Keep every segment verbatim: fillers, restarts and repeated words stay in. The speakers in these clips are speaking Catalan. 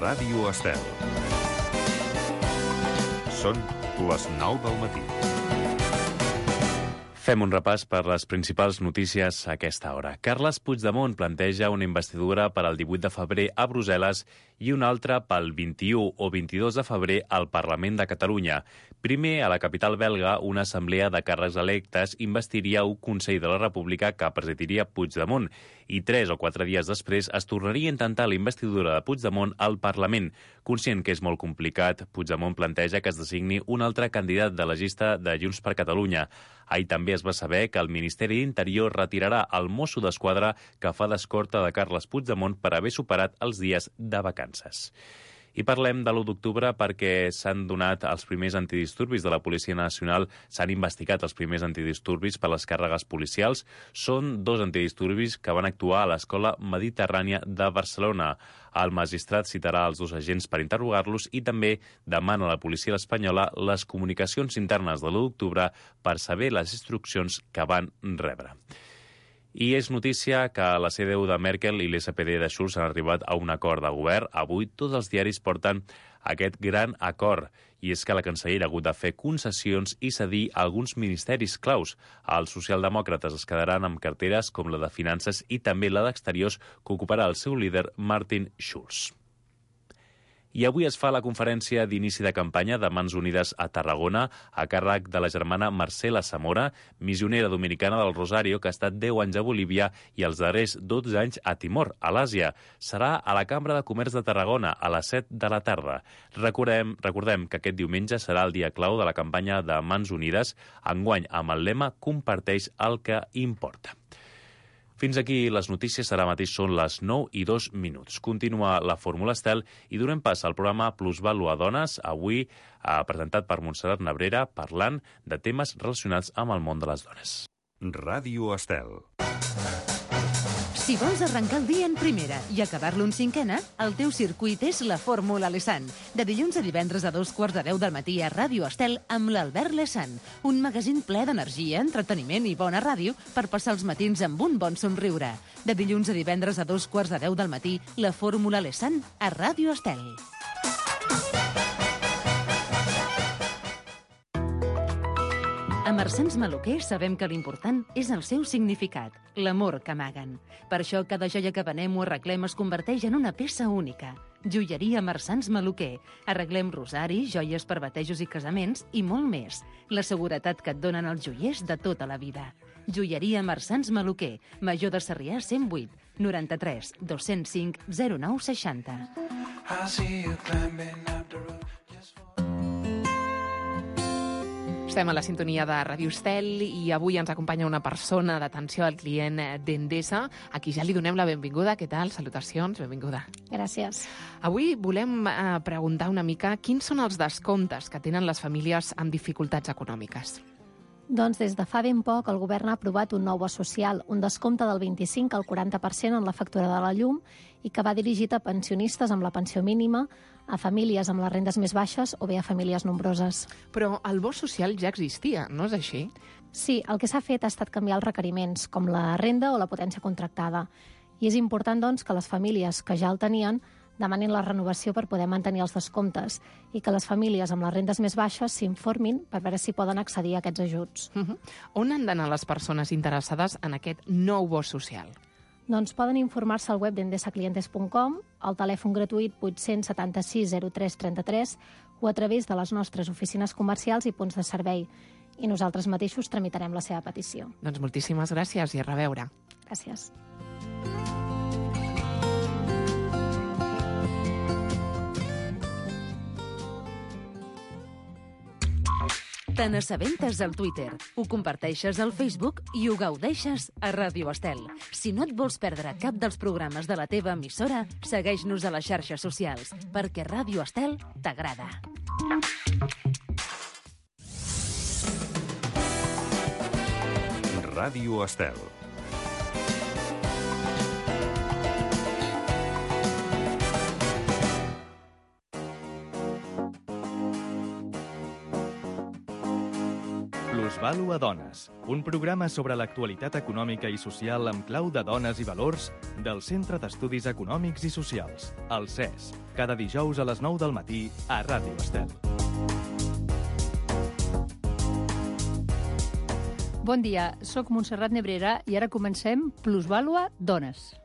Ràdio Estel. Són les nou del matí. Fem un repàs per les principals notícies a aquesta hora. Carles Puigdemont planteja una investidura per al divuit de febrer a Brussel·les i una altra pel vint-i-u o vint-i-dos de febrer al Parlament de Catalunya. Primer, a la capital belga, una assemblea de càrrecs electes investiria un Consell de la República que presidiria Puigdemont i tres o quatre dies després es tornaria a intentar la investidura de Puigdemont al Parlament. Conscient que és molt complicat, Puigdemont planteja que es designi un altre candidat de la llista de Junts per Catalunya. Ahir també es va saber que el Ministeri d'Interior retirarà el mosso d'esquadra que fa d'escorta de Carles Puigdemont per haver superat els dies de vacances. I parlem de l'u d'octubre perquè s'han donat els primers antidisturbis de la Policia Nacional, s'han investigat els primers antidisturbis per les càrregues policials. Són dos antidisturbis que van actuar a l'Escola Mediterrània de Barcelona. El magistrat citarà els dos agents per interrogar-los i també demana a la policia espanyola les comunicacions internes de l'u d'octubre per saber les instruccions que van rebre. I és notícia que la C D U de Merkel i l'S P D de Schulz han arribat a un acord de govern. Avui tots els diaris porten aquest gran acord, i és que la cancellera ha hagut de fer concessions i cedir alguns ministeris claus. Els socialdemòcrates es quedaran amb carteres com la de Finances i també la d'Exteriors, que ocuparà el seu líder Martin Schulz. I avui es fa la conferència d'inici de campanya de Mans Unides a Tarragona a càrrec de la germana Marcela Zamora, missionera dominicana del Rosario, que ha estat deu anys a Bolívia i els darrers dotze anys a Timor, a l'Àsia. Serà a la Cambra de Comerç de Tarragona a les set de la tarda. Recordem, recordem que aquest diumenge serà el dia clau de la campanya de Mans Unides, enguany amb el lema «Comparteix el que importa». Fins aquí les notícies, ara mateix són les nou i dos minuts. Continua la Fórmula Estel i donem pas al programa Plusvàlua Dones, avui eh, presentat per Montserrat Nebrera, parlant de temes relacionats amb el món de les dones. Ràdio Estel. Si vols arrencar el dia en primera i acabar-lo en cinquena, el teu circuit és la Fórmula Lesan. De dilluns a divendres a dos quarts de deu del matí a Ràdio Estel amb l'Albert Lesan. Un magazín ple d'energia, entreteniment i bona ràdio per passar els matins amb un bon somriure. De dilluns a divendres a dos quarts de deu del matí, la Fórmula Lesan a Ràdio Estel. A Marsans Maluquer sabem que l'important és el seu significat, l'amor que amaguen. Per això cada joia que venem o arreglem es converteix en una peça única. Joieria Marsans Maluquer. Arreglem rosaris, joies per batejos i casaments i molt més. La seguretat que et donen els joiers de tota la vida. Joieria Marsans Maluquer. Major de Sarrià cent vuit, noranta-tres, dos-cents cinc, zero nou seixanta. Estem a la sintonia de Ràdio Estel i avui ens acompanya una persona d'atenció al client d'Endesa, a qui ja li donem la benvinguda. Què tal? Salutacions, benvinguda. Gràcies. Avui volem eh, preguntar una mica quins són els descomptes que tenen les famílies amb dificultats econòmiques. Doncs des de fa ben poc el govern ha aprovat un nou bo social, un descompte del vint-i-cinc al quaranta per cent en la factura de la llum i que va dirigit a pensionistes amb la pensió mínima, a famílies amb les rendes més baixes o bé a famílies nombroses. Però el bo social ja existia, no és així? Sí, el que s'ha fet ha estat canviar els requeriments, com la renda o la potència contractada. I és important, doncs, que les famílies que ja el tenien demanin la renovació per poder mantenir els descomptes i que les famílies amb les rendes més baixes s'informin per veure si poden accedir a aquests ajuts. Uh-huh. On han d'anar les persones interessades en aquest nou bo social? Doncs poden informar-se al web d'endesa clientes punt com, al telèfon gratuït vuit set sis zero tres tres tres o a través de les nostres oficines comercials i punts de servei. I nosaltres mateixos tramitarem la seva petició. Doncs moltíssimes gràcies i a reveure. Gràcies. Te n'assabentes al Twitter, ho comparteixes al Facebook i ho gaudeixes a Ràdio Estel. Si no et vols perdre cap dels programes de la teva emissora, segueix-nos a les xarxes socials, perquè Ràdio Estel t'agrada. Ràdio Estel. Plusvalua Dones, un programa sobre l'actualitat econòmica i social amb clau de dones i valors del Centre d'Estudis Econòmics i Socials, el C E S, cada dijous a les nou del matí a Ràdio Estel. Bon dia, sóc Montserrat Nebrera i ara comencem Plusvalua Dones.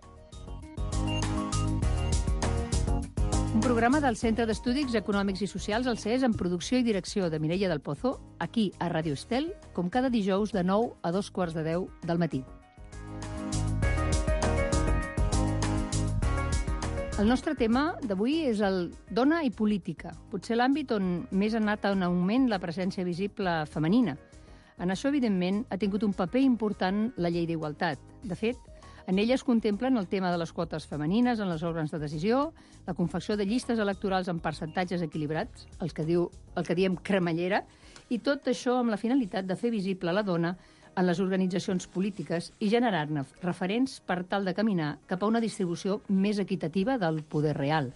Un programa del Centre d'Estudis Econòmics i Socials, el C E S, en producció i direcció de Mireia del Pozo, aquí a Ràdio Estel, com cada dijous de nou a dos quarts de deu del matí. El nostre tema d'avui és el dona i política, potser l'àmbit on més ha anat en augment la presència visible femenina. En això, evidentment, ha tingut un paper important la llei d'igualtat. De fet, en ella es contemplen el tema de les quotes femenines en les òrgans de decisió, la confecció de llistes electorals amb percentatges equilibrats, els que diu, el que diem cremallera, i tot això amb la finalitat de fer visible la dona en les organitzacions polítiques i generar-ne referents per tal de caminar cap a una distribució més equitativa del poder real.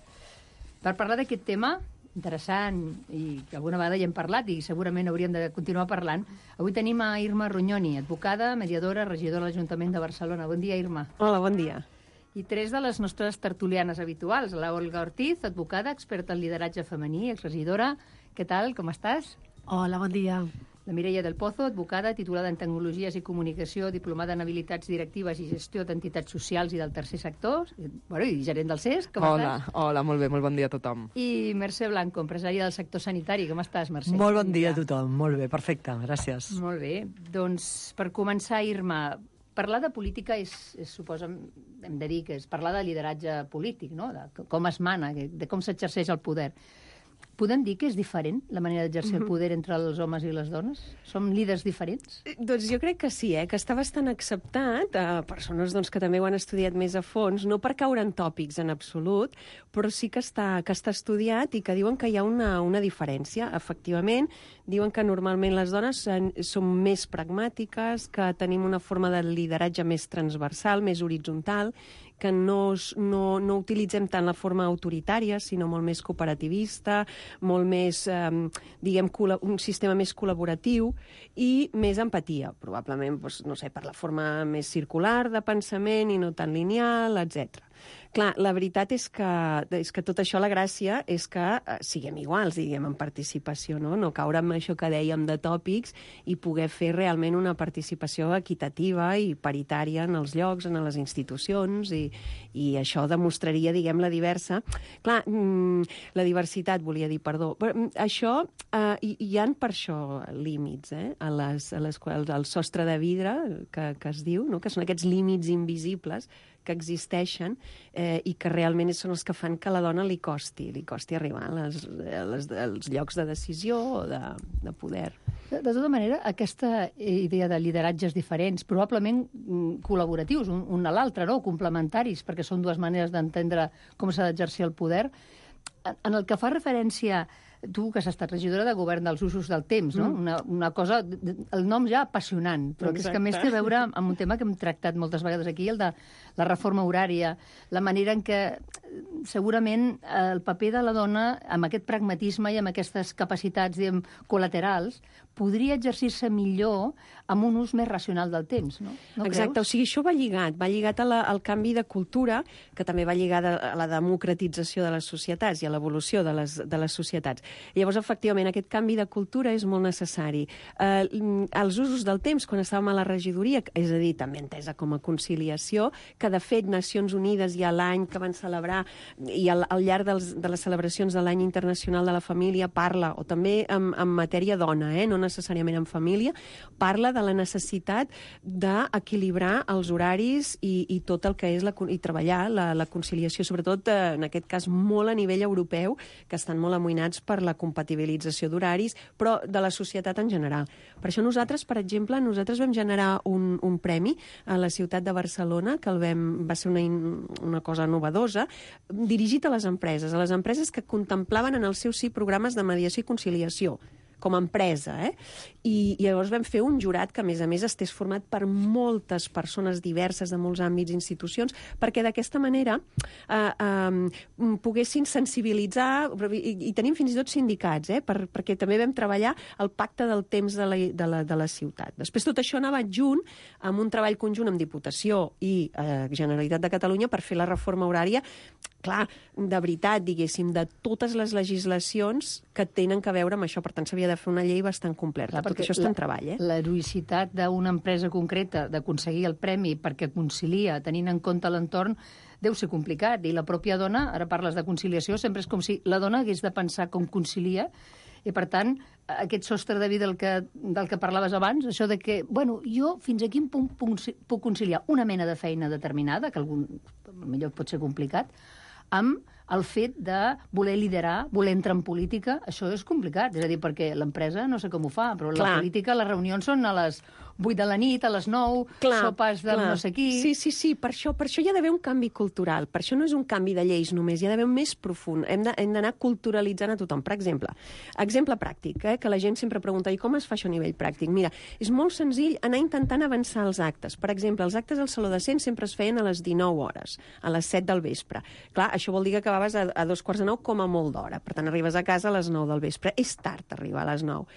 Per parlar d'aquest tema interessant i que alguna vegada hi hem parlat i segurament hauríem de continuar parlant, avui tenim a Irma Rognoni, advocada, mediadora, regidora de l'Ajuntament de Barcelona. Bon dia, Irma. Hola, bon dia. I tres de les nostres tertulianes habituals, la Olga Ortiz, advocada, experta en lideratge femení, exregidora. Què tal, com estàs? Hola, bon dia. La Mireia del Pozo, advocada, titulada en Tecnologies i Comunicació, diplomada en Habilitats Directives i Gestió d'Entitats Socials i del Tercer Sector, bueno, i gerent del C E S, com hola, estàs? Hola, molt bé, molt bon dia a tothom. I Mercè Blanco, empresària del sector sanitari. Com estàs, Mercè? Molt bon dia a tothom, molt bé, perfecte, gràcies. Molt bé. Doncs, per començar, Irma, parlar de política és, és suposa, hem de dir que és parlar de lideratge polític, no? De com es mana, de com s'exerceix el poder. Podem dir que és diferent la manera d'exercir el poder entre els homes i les dones? Som líders diferents? Doncs jo crec que sí, eh? Que està bastant acceptat a persones doncs, que també ho han estudiat més a fons, no per caure en tòpics en absolut, però sí que està, que està estudiat i que diuen que hi ha una, una diferència. Efectivament, diuen que normalment les dones som més pragmàtiques, que tenim una forma de lideratge més transversal, més horitzontal, que no, no, no utilitzem tant la forma autoritària, sinó molt més cooperativista, molt més, eh, diguem, un sistema més col·laboratiu i més empatia, probablement, doncs, no sé, per la forma més circular de pensament i no tan lineal, etcètera. Clar, la veritat és que, és que tot això, la gràcia, és que eh, siguem iguals, diguem, en participació, no? No caure en això que dèiem de tòpics i poder fer realment una participació equitativa i paritària en els llocs, en les institucions, i, i això demostraria, diguem, la diversa. Clar, mm, la diversitat, volia dir, perdó. Però això, eh, hi, hi ha per això límits, eh? A les, a les, al sostre de vidre, que, que es diu, no? Que són aquests límits invisibles que existeixen eh, i que realment són els que fan que a la dona li costi, li costi arribar a les, a les, als llocs de decisió o de, de poder. De, de tota manera, aquesta idea de lideratges diferents, probablement col·laboratius, un, un a l'altre, no? Complementaris, perquè són dues maneres d'entendre com s'ha d'exercir el poder, en el que fa referència tu, que has estat regidora de govern dels usos del temps, no? Mm. Una, una cosa, el nom ja apassionant, però que és que més té a veure amb un tema que hem tractat moltes vegades aquí, el de la reforma horària, la manera en què segurament el paper de la dona, amb aquest pragmatisme i amb aquestes capacitats, diguem, col·laterals, podria exercir-se millor amb un ús més racional del temps, no? No Exacte, creus? O sigui, això va lligat, va lligat a la, al canvi de cultura, que també va lligat a la democratització de les societats i a l'evolució de les, de les societats. Llavors, efectivament, aquest canvi de cultura és molt necessari. Eh, els usos del temps, quan estàvem a la regidoria, és a dir, també entesa com a conciliació, que de fet Nacions Unides ja l'any que van celebrar i al, al llarg dels, de les celebracions de l'any internacional de la família parla, o també en, en matèria dona, eh, no necessàriament en família, parla de la necessitat d'equilibrar els horaris i, i tot el que és la, i treballar la, la conciliació, sobretot eh, en aquest cas molt a nivell europeu, que estan molt amoïnats per la compatibilització d'horaris, però de la societat en general. Per això nosaltres, per exemple, nosaltres vam generar un, un premi a la ciutat de Barcelona, que el vam, va ser una, una cosa novedosa, dirigit a les empreses, a les empreses que contemplaven en el seu sí programes de mediació i conciliació, com a empresa. Eh? I, I llavors vam fer un jurat que, a més a més, estés format per moltes persones diverses de molts àmbits i institucions, perquè d'aquesta manera eh, eh, poguessin sensibilitzar, i, i tenim fins i tot sindicats, eh, per, perquè també vam treballar el pacte del temps de la, de la, de la ciutat. Després tot això anava adjunt amb un treball conjunt amb Diputació i eh, Generalitat de Catalunya per fer la reforma horària, clar, de veritat, diguéssim, de totes les legislacions que tenen que veure amb això. Per tant, s'havia de fer una llei bastant completa. Clar, tot això està en treball, eh? L'heroïcitat d'una empresa concreta d'aconseguir el premi perquè concilia, tenint en compte l'entorn, deu ser complicat. I la pròpia dona, ara parles de conciliació, sempre és com si la dona hagués de pensar com concilia, i per tant, aquest sostre de vida del que, del que parlaves abans, això de que, bueno, jo fins a quin punt puc conciliar una mena de feina determinada, que algun, millor pot ser complicat, amb el fet de voler liderar, voler entrar en política, això és complicat. És a dir, perquè l'empresa no sé com ho fa, però clar, la política, les reunions són a les vuit de la nit, a les nou, clar, sopars del clar. No sé qui... Sí, sí, sí, per això, per això hi ha d'haver un canvi cultural. Per això no és un canvi de lleis només, hi ha d'haver un més profund. Hem d'anar culturalitzant a tothom. Per exemple, exemple pràctic, eh, que la gent sempre pregunta, i com es fa això a nivell pràctic? Mira, és molt senzill anar intentant avançar els actes. Per exemple, els actes al Saló de Cent sempre es feien a les dinou hores, a les set del vespre. Clar, això vol dir que acabaves a, a dos quarts de nou com a molt d'hora. Per tant, arribes a casa a les nou del vespre. És tard arribar a les nou.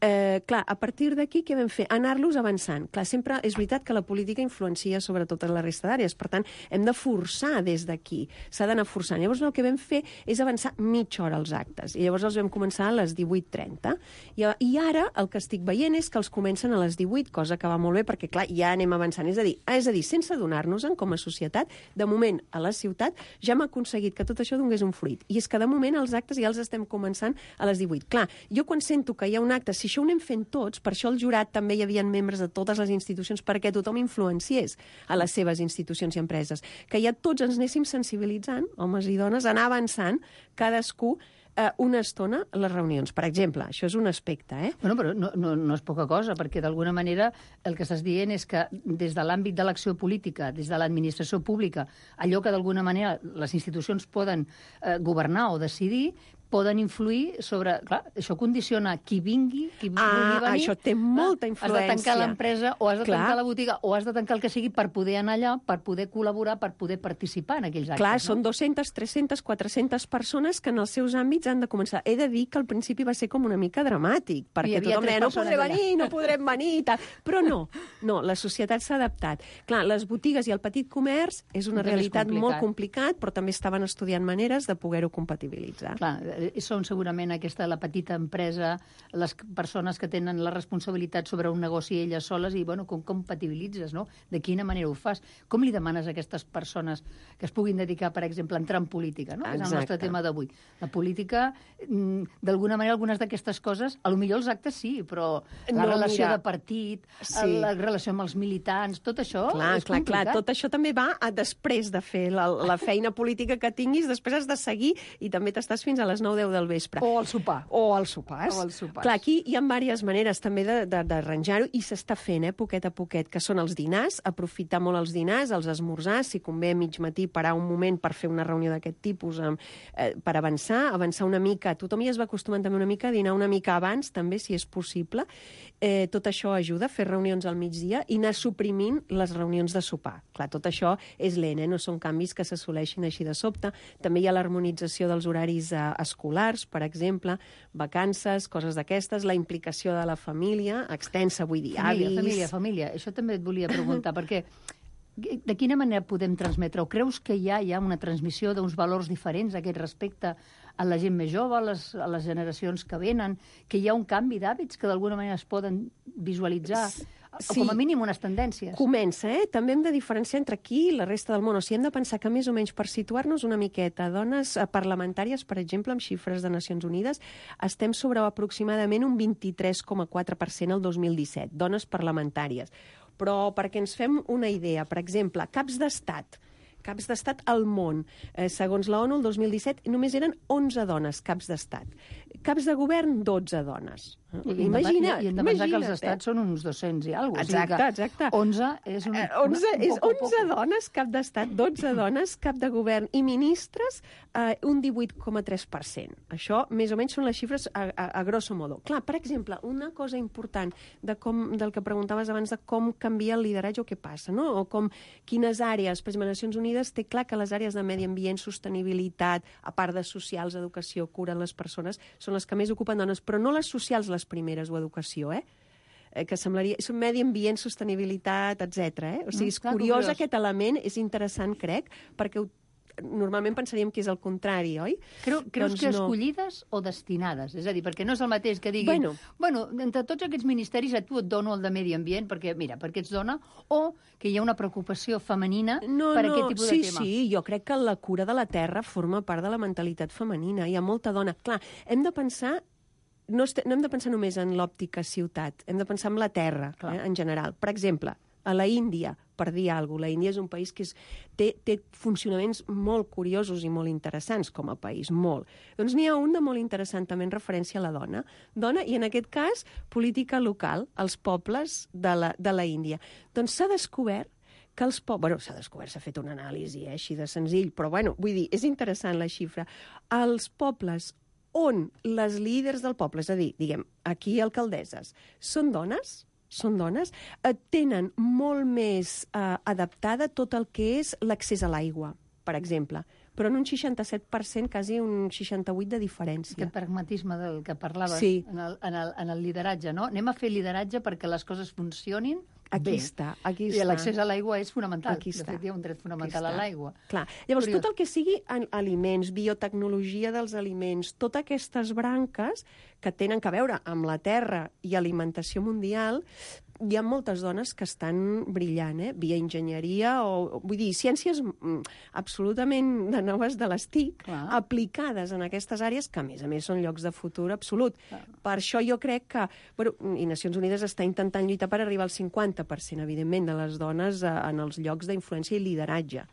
Eh, clar, a partir d'aquí, què vam fer? Anar-los avançant. Clar, sempre és veritat que la política influencia sobre totes la resta d'àrees. Per tant, hem de forçar des d'aquí. S'ha d'anar forçant. Llavors, el que vam fer és avançar mitja hora els actes. I llavors els vam començar a les divuit trenta. I, I ara el que estic veient és que els comencen a les divuit, cosa que va molt bé, perquè, clar, ja anem avançant. És a dir, és a dir sense adonar-nos-en com a societat, de moment, a la ciutat, ja hem aconseguit que tot això donés un fruit. I és que, de moment, els actes ja els estem començant a les divuit. Clar, jo quan sento que hi ha un acte, si això ho anem fent tots, per això al jurat també hi havia membres de totes les institucions, perquè tothom influenciés a les seves institucions i empreses. Que ja tots ens anéssim sensibilitzant, homes i dones, anar avançant, cadascú, eh, una estona a les reunions. Per exemple, això és un aspecte, eh? Bueno, però no, no, no és poca cosa, perquè d'alguna manera el que estàs dient és que des de l'àmbit de l'acció política, des de l'administració pública, allò que d'alguna manera les institucions poden eh, governar o decidir, poden influir sobre... Clar, això condiciona qui vingui, qui ah, vulgui venir. Això té molta influència. Has de tancar l'empresa o has de clar. tancar la botiga o has de tancar el que sigui per poder anar allà, per poder col·laborar, per poder participar en aquells actes. Clar, no? són dues-centes, tres-centes, quatre-centes persones que en els seus àmbits han de començar. He de dir que al principi va ser com una mica dramàtic, perquè tothom deia, no podré venir, no podrem venir, i tal. Però no, no, la societat s'ha adaptat. Clar, les botigues i el petit comerç és una també realitat és molt complicat, però també estaven estudiant maneres de poder-ho compatibilitzar. Clar, són segurament aquesta, la petita empresa, les persones que tenen la responsabilitat sobre un negoci elles soles i, bueno, com compatibilitzes, no? De quina manera ho fas? Com li demanes a aquestes persones que es puguin dedicar, per exemple, a entrar en política, no? Exacte. És el nostre tema d'avui. La política, d'alguna manera, algunes d'aquestes coses, a lo millor els actes sí, però la no, relació mira, de partit, sí. la relació amb els militants, tot això clar, és clar, complicat. clar, tot això també va a després de fer la, la feina política que tinguis, després has de seguir i també t'estàs fins a les nou deu del vespre. O al sopar. O als sopars. O als sopars. Clar, aquí hi ha diverses maneres també d'arranjar-ho i s'està fent, eh, poquet a poquet, que són els dinars, aprofitar molt els dinars, els esmorzars, si convé a mig matí parar un moment per fer una reunió d'aquest tipus, eh, per avançar, avançar una mica. Tothom ja es va acostumant també una mica a dinar una mica abans, també, si és possible. Eh, tot això ajuda a fer reunions al migdia i anar suprimint les reunions de sopar. Clar, tot això és lent, eh? No són canvis que s'assoleixin així de sobte. També hi ha l'harmonització dels horaris eh, escolars, per exemple, vacances, coses d'aquestes, la implicació de la família, extensa, vull dir, família, avis... Família, família, això també et volia preguntar, perquè de quina manera podem transmetre? O creus que hi ha, hi ha una transmissió d'uns valors diferents a aquest respecte a la gent més jove, a les, a les generacions que venen, que hi ha un canvi d'hàbits que d'alguna manera es poden visualitzar? Sí, com a mínim unes tendències. Comença, eh? També hem de diferenciar entre aquí i la resta del món. O sigui, hem de pensar que més o menys per situar-nos una miqueta, dones parlamentàries, per exemple, amb xifres de Nacions Unides, estem sobre aproximadament un vint-i-tres coma quatre per cent el dos mil disset, dones parlamentàries. Però perquè ens fem una idea, per exemple, caps d'estat, caps d'estat al món. Eh, segons la ONU, el dos mil disset només eren onze dones caps d'estat. Caps de govern, dotze dones. I imagina, I hem de pensar que els estats són uns dos-cents i alguna cosa. Exacte, exacte. onze és un... onze, és onze dones, cap d'estat, dotze dones, cap de govern i ministres, eh, un divuit coma tres per cent. Això, més o menys, són les xifres a, a, a grosso modo. Clar, per exemple, una cosa important de com, del que preguntaves abans de com canvia el lideratge o què passa, no? O com quines àrees, per exemple, Nacions Unides té clar que les àrees de medi ambient, sostenibilitat, a part de socials, educació, cura les persones, són les que més ocupen dones, però no les socials les primeres o educació, eh? eh que semblaria... És un medi ambient, sostenibilitat, etcètera. Eh? O sigui, és Clar, curiós, curiós aquest element, és interessant, crec, perquè ho normalment pensaríem que és el contrari, oi? Creu, creus doncs que no. escollides o destinades? És a dir, perquè no és el mateix que diguin... Bueno. bueno, entre tots aquests ministeris a tu et dono el de medi ambient, perquè, mira, perquè ets dona, o que hi ha una preocupació femenina no, per no, aquest tipus sí, de tema. Sí, jo crec que la cura de la terra forma part de la mentalitat femenina. Hi ha molta dona. Clar, hem de pensar no, est- no hem de pensar només en l'òptica ciutat, hem de pensar en la terra, eh, en general. Per exemple, a la Índia, per dir alguna cosa, la Índia és un país que és, té, té funcionaments molt curiosos i molt interessants com a país, molt. Doncs n'hi ha un de molt interessant també en referència a la dona. Dona, i en aquest cas, política local, els pobles de la, de la Índia. Doncs s'ha descobert que els pobles... Bueno, s'ha descobert, s'ha fet una anàlisi, eh, així de senzill, però bueno, vull dir, és interessant la xifra. Els pobles on les líders del poble, és a dir, diguem, aquí alcaldesses, són dones, són dones, eh, tenen molt més eh, adaptada tot el que és l'accés a l'aigua, per exemple, però en un seixanta-set per cent, quasi un seixanta-vuit de diferència. Aquest pragmatisme del que parlaves Sí. en, el, en, el, en el lideratge, no? Anem a fer lideratge perquè les coses funcionin Aquí bé. està, aquí I està. l'accés a l'aigua és fonamental. Aquí de està. fet, hi ha un dret fonamental Aquí a està. l'aigua. Clar. Llavors, Curiós. tot el que sigui en aliments, biotecnologia dels aliments, totes aquestes branques que tenen que veure amb la terra i alimentació mundial, hi ha moltes dones que estan brillant, eh? Via enginyeria o, vull dir, ciències mm, absolutament de noves de les T I C, Clar. aplicades en aquestes àrees, que a més a més són llocs de futur absolut. Clar. Per això jo crec que, bueno, i Nacions Unides està intentant lluitar per arribar al cinquanta per cent, evidentment, de les dones eh, en els llocs d'influència i lideratge.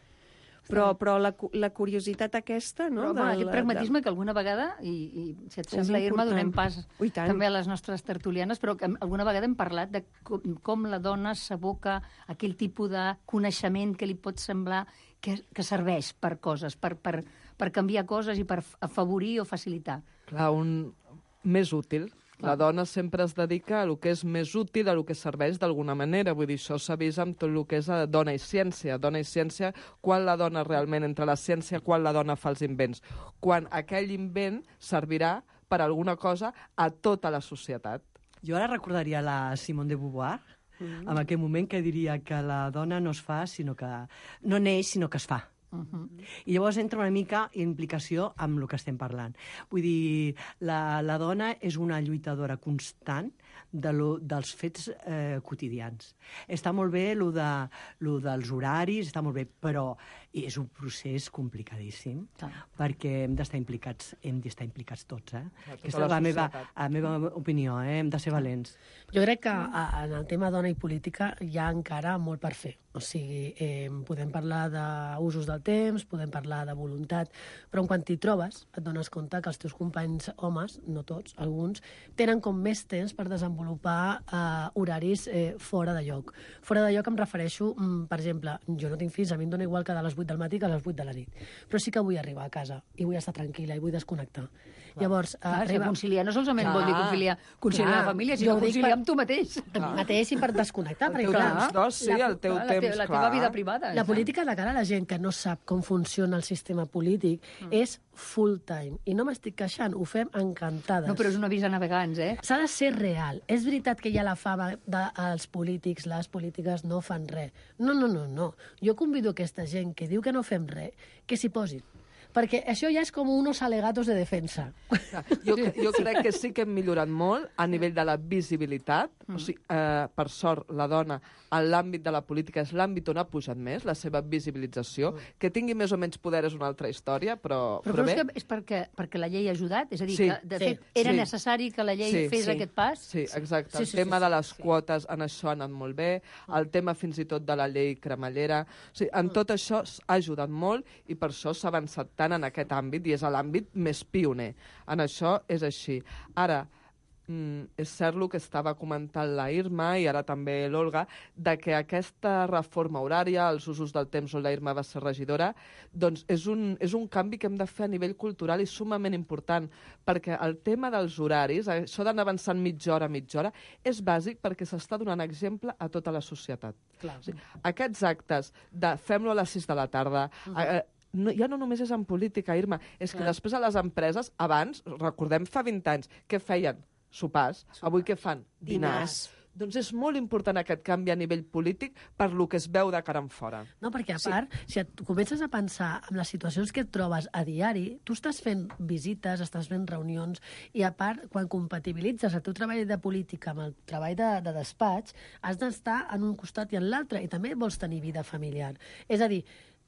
Però, però la, cu- la curiositat aquesta, no? Però, bueno, de aquest la- pragmatisme que alguna vegada, i, i si et sembla, Irma, important. donem pas Ui, tant. també a les nostres tertulianes, però que alguna vegada hem parlat de com, com la dona s'aboca a aquell tipus de coneixement que li pot semblar que, que serveix per coses, per, per, per canviar coses i per afavorir o facilitar. Clar, un més útil. La dona sempre es dedica a lo que és més útil, a lo que serveix d'alguna manera. Vull dir, això s'ha vist amb tot el que és a dona i ciència. Dona i ciència, quan la dona realment entra a la ciència, quan la dona fa els invents. Quan aquell invent servirà per alguna cosa a tota la societat. Jo ara recordaria la Simone de Beauvoir, mm. en aquell moment que diria que la dona no es fa, sinó que... no neix, sinó que es fa. Uh -huh. I llavors entra una mica implicació amb el que estem parlant. Vull dir, la, la dona és una lluitadora constant de lo, dels fets eh, quotidians. Està molt bé lo, de, lo dels horaris, està molt bé, però és un procés complicadíssim, Clar. perquè hem d'estar implicats, hem d'estar implicats tots, eh? Clar, tota Aquesta la és la meva, societat. la meva opinió, eh? Hem de ser valents. Jo crec que a, en el tema dona i política hi ha encara molt per fer. O sigui, eh, podem parlar d'usos del temps, podem parlar de voluntat, però quan t'hi trobes et dones compte que els teus companys homes, no tots, alguns, tenen com més temps per desenvolupar eh, horaris eh, fora de lloc. Fora de lloc em refereixo, mm, per exemple, jo no tinc fills, a mi em dona igual que de les vuit del matí que a les vuit de la nit, però sí que vull arribar a casa i vull estar tranquil·la i vull desconnectar. Clar. Llavors, eh, Clar, arriba... conciliar no solament Clar. vol dir conciliar, conciliar Clar. la família, Jo sinó ho dic conciliar per- amb tu mateix. A mi mateix i per desconnectar. El perquè, teu clar, temps d'oci, la- el teu la temps, teva- la teva clar. vida privada. La política de cara a la gent que no sap com funciona el sistema polític mm. és full time. I no m'estic queixant, ho fem encantades. No, però és un avís a navegants, eh? S'ha de ser real. És veritat que hi ha la fama dels polítics, les polítiques no fan res. No, no, no, no. Jo convido aquesta gent que diu que no fem res, que s'hi posin. Perquè això ja és com unos alegatos de defensa. Jo, jo crec que sí que hem millorat molt a nivell de la visibilitat. Mm. O sigui, eh, per sort, la dona en l'àmbit de la política és l'àmbit on ha pujat més, la seva visibilització. Mm. Que tingui més o menys poder és una altra història, però, Però però creus bé. que és perquè, perquè la llei ha ajudat? És a dir, Sí. que de Sí. fet era Sí. necessari que la llei Sí. fes Sí. aquest pas? Sí, exacte. Sí, Sí, sí, el tema sí, de sí, les sí. quotes, en això ha anat molt bé. El tema fins i tot de la llei cremallera. O sigui, en tot això ha ajudat molt i per això s'ha avançat tant. impactant en aquest àmbit i és l'àmbit més pioner. En això és així. Ara, Mm, és cert el que estava comentant la Irma i ara també l'Olga, de que aquesta reforma horària, els usos del temps on la Irma va ser regidora, doncs és un, és un canvi que hem de fer a nivell cultural i sumament important, perquè el tema dels horaris, això d'anar avançant mitja hora, mitja hora, és bàsic perquè s'està donant exemple a tota la societat. Clar. O sigui, aquests actes de fem-lo a les sis de la tarda, uh -huh. eh, No, ja no només és en política, Irma, és Clar. que després a les empreses, abans, recordem fa vint anys, què feien? Sopars. Sopars. Avui què fan? Dinars. Dinars. Doncs és molt important aquest canvi a nivell polític per lo que es veu de cara en fora. No, perquè a part, sí. si et comences a pensar en les situacions que et trobes a diari, tu estàs fent visites, estàs fent reunions, i a part, quan compatibilitzes el teu treball de política amb el treball de, de despatx, has d'estar en un costat i en l'altre, i també vols tenir vida familiar. És a dir,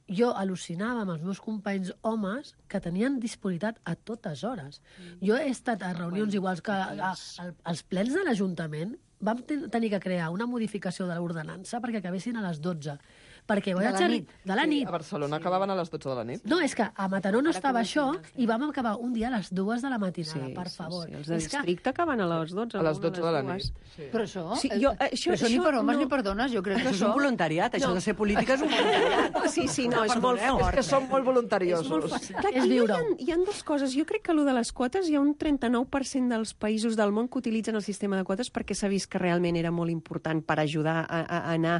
jo al·lucinava amb els meus companys homes que tenien disponibilitat a totes hores. Mm. Jo he estat a reunions bueno, iguals que a, a, als plens de l'Ajuntament, vam ten tenir que crear una modificació de l'ordenança perquè acabessin a les dotze. Perquè de la nit. De la nit. Sí, a Barcelona sí. acabaven a les dotze de la nit. No, és que a Mataró no estava això i vam acabar un dia a les dues de la matinada, sí, per favor. Sí, sí. Els de districte que... acaben a les dotze. A les dotze de la nit. Sí. Però això, sí, jo, això, però això, això ni per homes no... ni per dones, jo crec que això... és un voluntariat, això no. de ser política és un voluntariat. Sí, sí, no, és molt fort. És que són molt voluntariosos. És molt fort. Clar, aquí hi ha, hi ha dues coses. Jo crec que allò de les quotes, hi ha un trenta-nou per cent dels països del món que utilitzen el sistema de quotes perquè s'ha vist que realment era molt important per ajudar a, a anar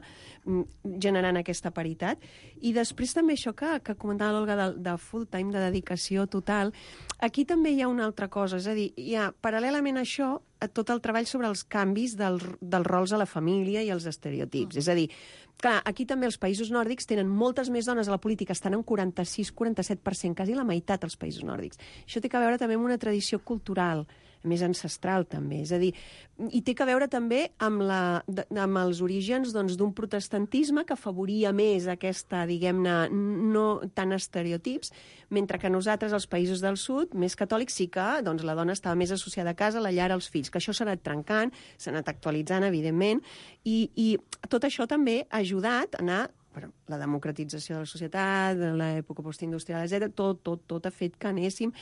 generant aquesta paritat. I després també això que, que comentava l'Olga de, de full time, de dedicació total, aquí també hi ha una altra cosa, és a dir, hi ha paral·lelament a això tot el treball sobre els canvis del, dels rols a la família i els estereotips. Mm. És a dir, clar, aquí també els països nòrdics tenen moltes més dones a la política, estan en quaranta-sis quaranta-set per cent, quasi la meitat als països nòrdics. Això té a veure també amb una tradició cultural, més ancestral també, és a dir, i té a veure també amb, la, amb els orígens doncs, d'un protestantisme que afavoria més aquesta, diguem-ne, no tant estereotips, mentre que nosaltres, als països del sud, més catòlics, sí que doncs, la dona estava més associada a casa, a la llar, als fills, que això s'ha anat trencant, s'ha anat actualitzant, evidentment, i, i tot això també ha ajudat a anar però la democratització de la societat, l'època postindustrial, etcètera, tot, tot, tot ha fet que anéssim,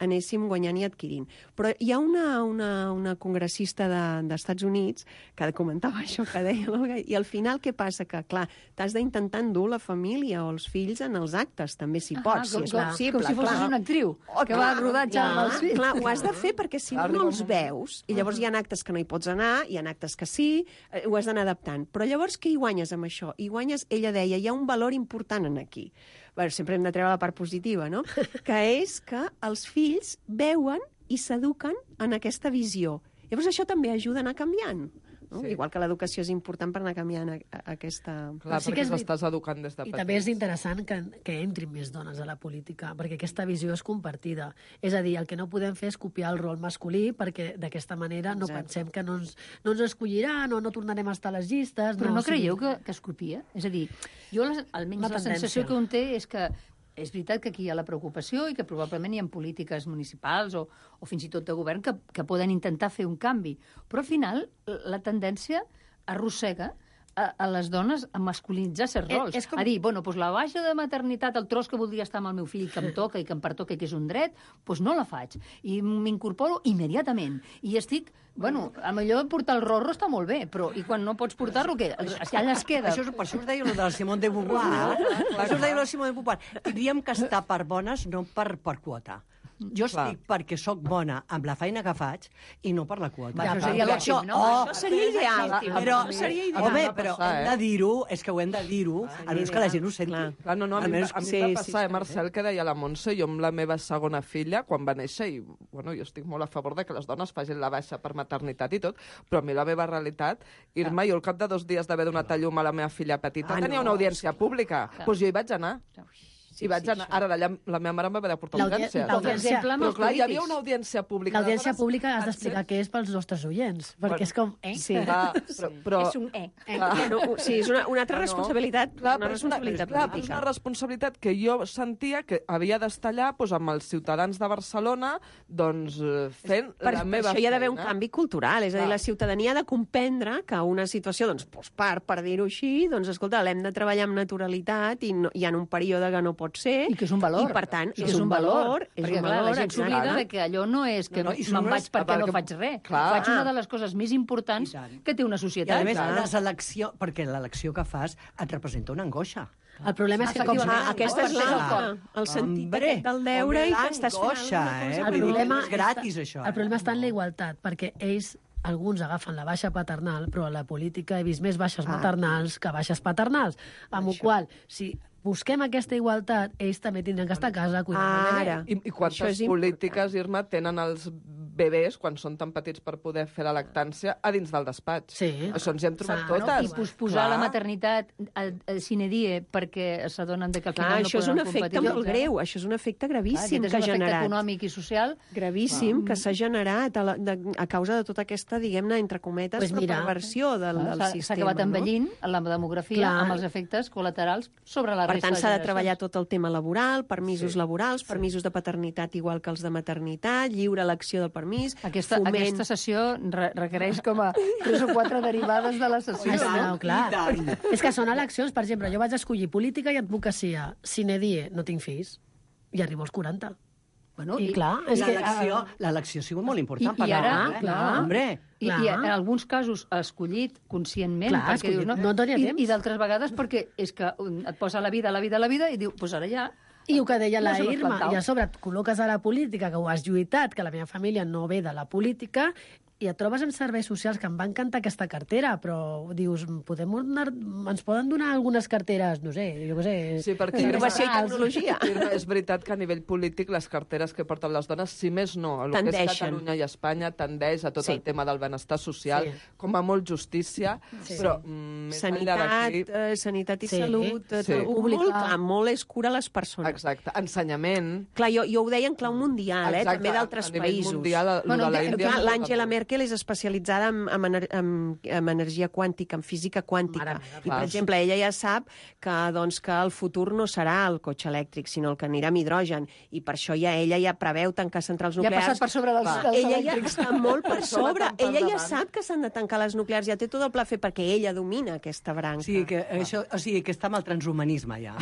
anéssim guanyant i adquirint. Però hi ha una, una, una congressista de, d'Estats Units que comentava això que deia l'Olga, i al final què passa? Que, clar, t'has d'intentar endur la família o els fills en els actes, també si ah, pots, com, si és com, possible. Com si fossis clar. una actriu oh, que va a rodatge clar, amb els fills. Clar, ho has de fer perquè si no, no els veus, i llavors hi ha actes que no hi pots anar, hi ha actes que sí, ho has d'anar adaptant. Però llavors què hi guanyes amb això? Hi guanyes, ella deia, hi ha un valor important en aquí. Bé, sempre hem de treure la part positiva, no? Que és que els fills veuen i s'eduquen en aquesta visió. Llavors això també ajuda a anar canviant. No? Sí. Igual que l'educació és important per anar canviant a, a, a aquesta... Clar, sí perquè s'estàs educant des de petits. I petits. també és interessant que, que entrin més dones a la política, perquè aquesta visió és compartida. És a dir, el que no podem fer és copiar el rol masculí, perquè d'aquesta manera no Exacte. pensem que no ens, no ens escolliran o no tornarem a estar a les llistes. Però no, no creieu sigui... que, que es copia? És a dir, jo la, almenys la, la sensació que un té és que és veritat que aquí hi ha la preocupació i que probablement hi ha polítiques municipals o, o fins i tot de govern que, que poden intentar fer un canvi. Però al final la tendència arrossega a, a les dones a masculinitzar certs rols. És com... A dir, bueno, doncs la baixa de maternitat, el tros que voldria estar amb el meu fill que em toca i que em pertoca i que és un dret, doncs no la faig. I m'incorporo immediatament. I estic, bueno, a millor portar el rorro està molt bé, però i quan no pots portar-lo, què? Allà es queda. Això, per això us deia el de la Simone de Beauvoir. Per això us deia el de la Simone de Beauvoir. Tindríem que estar per bones, no per, per quota. Jo Clar. estic perquè sóc bona amb la feina que faig i no per la quota. Ja, això seria l'òptim, no? Oh, això seria ideal. Però seria ideal. Home, però hem de dir-ho, és que ho hem de dir-ho, almenys que la gent ho senti. Clar, Clar no, no, a mi, a mi sí, em va passar, sí, eh, Marcel, que deia la Montse, jo amb la meva segona filla, quan va néixer, i bueno, jo estic molt a favor de que les dones facin la baixa per maternitat i tot, però a mi la meva realitat, Irma, jo al cap de dos dies d'haver donat a llum a la meva filla petita, ah, tenia no, una audiència pública, doncs pues jo hi vaig anar. Sí, I vaig anar... Ara, d'allà, la meva mare em va haver de portar audiència. L'audiència... Però, clar, hi havia una audiència pública. L'audiència pública has d'explicar què és pels nostres oients, perquè bueno, és com... Eh? Sí, clar, però, però... És un eh. eh. No, sí, és una, una altra no, responsabilitat, clar, una responsabilitat clar, política. És una responsabilitat que jo sentia que havia d'estar allà doncs, amb els ciutadans de Barcelona doncs, fent per, la meva feina. Això hi ha d'haver un feina. canvi cultural, és a dir, la ciutadania ha de comprendre que una situació, doncs, postpart, per dir-ho així, doncs, escolta, l'hem de treballar amb naturalitat i no, hi ha un període que no pot ser. I que és un valor. I, per tant, I és, un valor. És perquè, un clar, valor, la gent s'oblida que allò no és que No, no, i me'n són vaig unes- perquè no perquè- faig res. Clar. Faig una de les coses més importants que té una I societat. a més, Clar. la selecció, perquè l'elecció que fas et representa una angoixa. El problema és que com... Ah, aquesta és la, el sentit Hombre, aquest del deure i que estàs fent l'angoixa, alguna cosa. eh? El Vull dir, problema és gratis, això. El problema està en la igualtat, perquè ells alguns agafen la baixa paternal, però a la política he vist més baixes Ah. maternals que baixes paternals. Amb la qual cosa, si busquem aquesta igualtat, ells també tindran que estar a casa cuidant del bebè. I, i quantes polítiques, Irma, tenen els bebès, quan són tan petits per poder fer la lactància, a dins del despatx? Sí. Això ens hi hem trobat Bueno, totes. I posposar Clar. la maternitat a, a sine die perquè s'adonen de que al Clar, final no això és podran un efecte competir. molt greu, això és un efecte gravíssim Clar, que ha aquest és un efecte generat. econòmic i social. Gravíssim, que s'ha generat a, la, de, a causa de tota aquesta, diguem-ne, entre cometes, Pues mira, perversió del, del S'ha- sistema. S'ha acabat no? envellint la demografia Clar. amb els efectes col·laterals sobre la Per resta tant, de s'ha de generacions. treballar tot el tema laboral, permisos sí. laborals, permisos de paternitat igual que els de maternitat, lliure elecció del permís, Aquesta, foment... aquesta sessió re requereix com a tres o quatre derivades de la sessió. Ah, no, clar. I tant. És que són eleccions, per exemple, jo vaig escollir política i advocacia. Sine die, no tinc fills, i arribo als quaranta. Bueno, I, clar, és que... L'elecció l'elecció ha sigut molt important I, per i ara, la dona, eh? clar, Hombre, I, clar. i en alguns casos ha escollit conscientment, Clar, perquè escollit, dius, no, no et doni I, temps. i d'altres vegades perquè és que um, et posa la vida, la vida, la vida, i diu, pues ara ja... I el que deia la No se m'ha Irma, espantat. i a sobre et col·loques a la política, que ho has lluitat, que la meva família no ve de la política, i et trobes amb serveis socials, que em va encantar aquesta cartera, però dius, podem donar, ens poden donar algunes carteres, no sé, jo què sé... Sí, perquè Innovació i Irma, tecnologia. Irma, és veritat que a nivell polític les carteres que porten les dones, si més no, el que és Tendeixen. Catalunya i Espanya tendeix a tot Sí. el tema del benestar social, Sí. com a molt justícia, Sí. però mm, més enllà Sanitat, d'aquí... eh, sanitat i Sí. salut, eh, Sí. tot, molt, clar, molt és cura a les persones. Exacte, ensenyament... Clar, jo, jo ho deia en clau mundial, eh, Exacte, també d'altres a nivell països. mundial, lo Bueno, de la de- Índia... Clar, és molt l'Angela important. Merkel és especialitzada en, en, ener- en, en energia quàntica, en física quàntica. Mare meva, I, per clar. exemple, ella ja sap que, doncs, que el futur no serà el cotxe elèctric, sinó el que anirà amb hidrogen. I per això ja ella ja preveu tancar centrals Ja ha nuclears. passat per sobre dels, Clar. dels Ella ja elèctrics. està molt per Per sobre, sobre. tant per Ella ja davant. sap que s'han de tancar les nuclears, ja té tot el pla fet perquè ella domina aquesta branca. o sigui, que, això, o sigui, que està amb el transhumanisme, ja.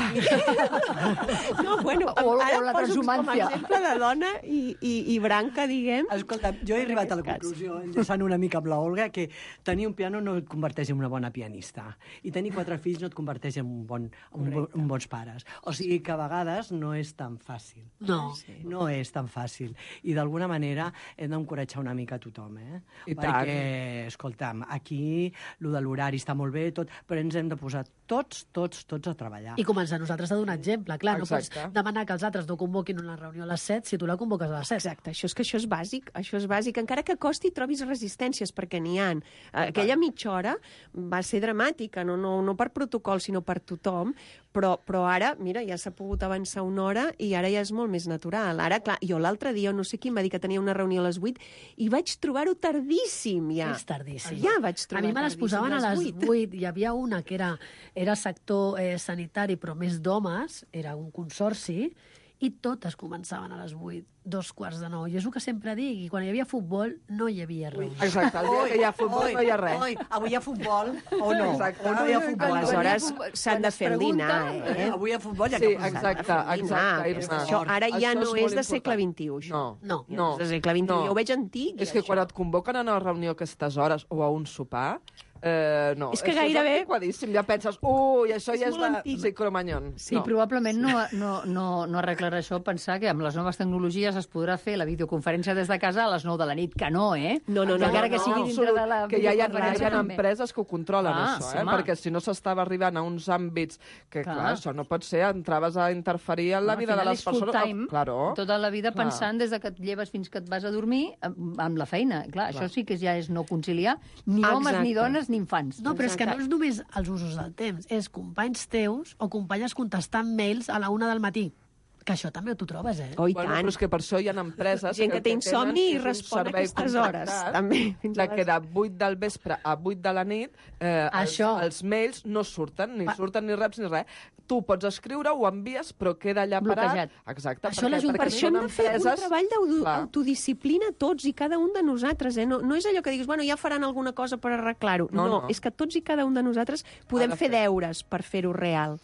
No, bueno, O- o ara la poso com a transhumància. exemple de dona i, i, i branca, diguem. Escolta, jo he arribat a la conclusió, enllaçant una mica amb la Olga, que tenir un piano no et converteix en una bona pianista. I tenir quatre fills no et converteix en un bon, un, bon, un bons pares. O sigui que a vegades no és tan fàcil. No. No és tan fàcil. I d'alguna manera hem d'encoratjar una mica a tothom, eh? I Perquè, escolta'm, aquí lo de l'horari està molt bé, tot, però ens hem de posar tots, tots, tots a treballar. I començar nosaltres a donar exemple. Clar, no Exacte. pots demanar que els altres no convoquin una reunió a les set si tu la convoques a les set. Exacte, això és que això és bàsic, això és bàsic. Encara que costi trobis resistències, perquè n'hi ha. Aquella mitja hora va ser dramàtica, no, no, no per protocol, sinó per tothom, però, però ara, mira, ja s'ha pogut avançar una hora i ara ja és molt més natural. Ara, clar, jo l'altre dia, no sé qui em va dir que tenia una reunió a les vuit i vaig trobar-ho tardíssim, ja. És tardíssim. Ja vaig A trobar mi me les tardíssim, posaven a les vuit. vuit. Hi havia una que era, era sector eh, sanitari, però més d'homes, era un consorci, i totes començaven a les vuit, dos quarts de nou. I és el que sempre dic, i quan hi havia futbol no hi havia res. Exacte, el dia que hi ha futbol no hi ha res. Oi, avui hi ha futbol o no? Exacte. O no hi ha futbol? Aleshores s'han de fer el dinar, eh? Avui hi ha futbol, ja Sí, que posem. exacte, exacte, Irma. Això ara ja Això no molt és de segle important. vint-i-u, això. No, No. No, és de segle vint-i-u. No. Jo ho veig antic. És que això. quan et convoquen a una reunió a aquestes hores o a un sopar, eh, no. És que això gairebé- És antiquadíssim, ja penses, ui, això És ja és molt de antic. sí, Cromanyón. Sí, no. Probablement no, no, no, no arreglarà això pensar que amb les noves tecnologies es podrà fer la videoconferència des de casa a les nou de la nit, que no, eh? No, no, no, Encara no, que no, sigui dintre absolut, de la que ja hi ha, ja videoconferència hi ha també. empreses que ho controlen, Ah, això, sí, eh? home. Perquè si no s'estava arribant a uns àmbits que, clar, Clar. això no pot ser, entraves a interferir en la Al vida de final les és full persones. time, Oh, claro. tota la vida Clar. pensant des de que et lleves fins que et vas a dormir amb, amb la feina. Clar, això sí que ja és no conciliar ni homes, Exacte. ni dones, ni infants. No, però és que no és només els usos del temps, és companys teus o companyes contestant mails a la una del matí. Que això també t'ho trobes, eh? Oh, i Bueno, tant. però és que per això hi ha empreses... Gent que el té tenen insomni i és un respon a servei aquestes hores, contractat, també. Fins a La que les- de vuit del vespre a vuit de la nit eh, els, Això. els mails no surten, ni surten ni reps ni res. Tu pots escriure, ho envies, però queda allà parat. Bloquejat. Exacte. Això perquè, l'Ajuntament- Per perquè això hem són de fer un empreses- treball Clar. d'autodisciplina tots i cada un de nosaltres. Eh? No, no és allò que diguis, bueno, ja faran alguna cosa per arreglar-ho. No, No, no, no. és que tots i cada un de nosaltres podem Ha de fer fer. deures per fer-ho real.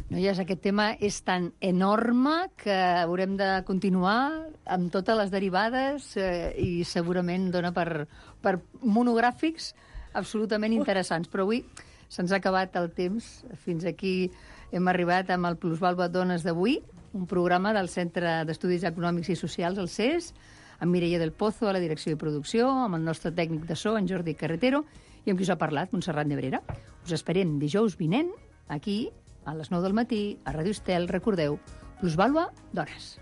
Noies, aquest tema és tan enorme que haurem de continuar amb totes les derivades eh, i segurament dona per, per monogràfics absolutament interessants. Però avui se'ns ha acabat el temps. Fins aquí hem arribat amb el Plusvalua Dones d'avui, un programa del Centre d'Estudis Econòmics i Socials, el C E S, amb Mireia del Pozo a la direcció i producció, amb el nostre tècnic de so, en Jordi Carretero, i amb qui us ha parlat, Montserrat Nebrera. Us esperem dijous vinent, aquí, a les nou del matí, a Ràdio Estel. Recordeu, Plusvalua Dones.